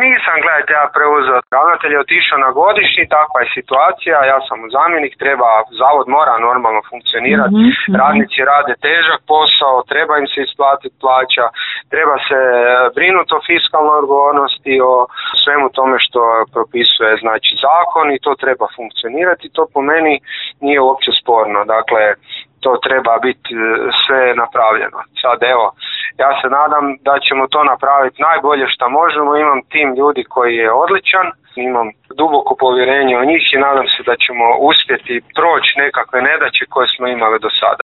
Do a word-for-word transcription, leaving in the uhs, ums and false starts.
nisam, gledajte, ja preuzeo. Ravnatelj je otišao na godišnji, takva je situacija, ja sam mu zamjenik, treba, zavod mora normalno funkcionirati, mm-hmm. radnici rade težak posao, treba im se isplatiti plaća, treba se brinuti o fiskalnoj odgovornosti, o svemu tome što propisuje znači zakon i to treba funkcionirati, to po meni nije uopće sporno, dakle to treba biti sve napravljeno. Sad evo, ja se nadam da ćemo to napraviti najbolje što možemo, imam tim ljudi koji je odličan, imam duboko povjerenje u njih i nadam se da ćemo uspjeti proći nekakve nedaće koje smo imali do sada.